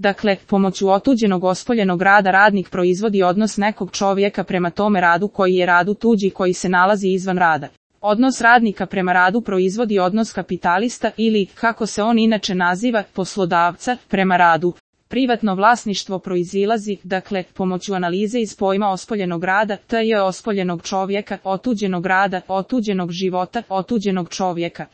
Dakle, pomoću otuđenog ospoljenog rada radnik proizvodi odnos nekog čovjeka prema tome radu koji je radu tuđi koji se nalazi izvan rada. Odnos radnika prema radu proizvodi odnos kapitalista ili, kako se on inače naziva, poslodavca prema radu. Privatno vlasništvo proizilazi, dakle, pomoću analize iz pojma ospoljenog rada, t.j. ospoljenog čovjeka, otuđenog rada, otuđenog života, otuđenog čovjeka.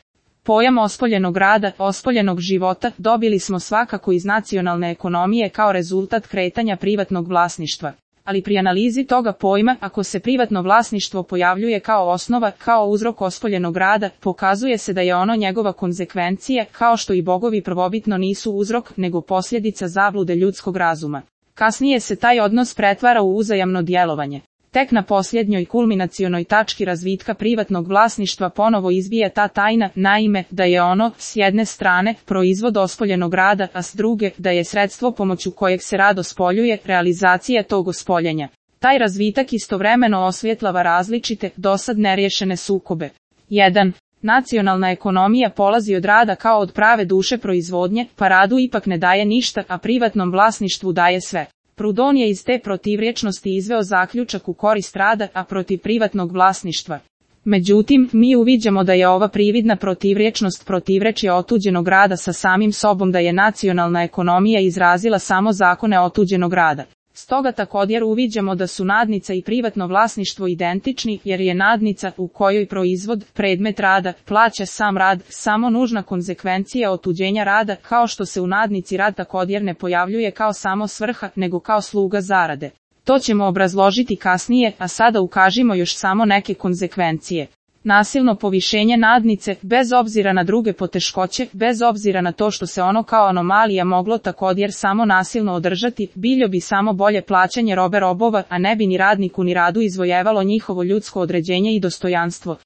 Pojam ospoljenog rada, ospoljenog života dobili smo svakako iz nacionalne ekonomije kao rezultat kretanja privatnog vlasništva. Ali pri analizi toga pojma, ako se privatno vlasništvo pojavljuje kao osnova, kao uzrok ospoljenog rada, pokazuje se da je ono njegova konzekvencija, kao što i bogovi prvobitno nisu uzrok, nego posljedica zablude ljudskog razuma. Kasnije se taj odnos pretvara u uzajamno djelovanje. Tek na posljednjoj kulminacionoj tački razvitka privatnog vlasništva ponovo izbija ta tajna, naime, da je ono, s jedne strane, proizvod ospoljenog rada, a s druge, da je sredstvo pomoću kojeg se rad ospoljuje, realizacija tog ospoljenja. Taj razvitak istovremeno osvjetlava različite, dosad neriješene sukobe. 1. Nacionalna ekonomija polazi od rada kao od prave duše proizvodnje, pa radu ipak ne daje ništa, a privatnom vlasništvu daje sve. Proudhon je iz te protivrječnosti izveo zaključak u korist rada, a protiv privatnog vlasništva. Međutim, mi uviđamo da je ova prividna protivrječnost protivrečje otuđenog rada sa samim sobom, da je nacionalna ekonomija izrazila samo zakone otuđenog rada. Stoga također uviđamo da su nadnica i privatno vlasništvo identični, jer je nadnica, u kojoj proizvod, predmet rada, plaća sam rad, samo nužna konzekvencija otuđenja rada, kao što se u nadnici rad također ne pojavljuje kao samo svrha, nego kao sluga zarade. To ćemo obrazložiti kasnije, a sada ukažimo još samo neke konzekvencije. Nasilno povišenje nadnice, bez obzira na druge poteškoće, bez obzira na to što se ono kao anomalija moglo također samo nasilno održati, bilo bi samo bolje plaćanje robe robova, a ne bi ni radniku ni radu izvojevalo njihovo ljudsko određenje i dostojanstvo.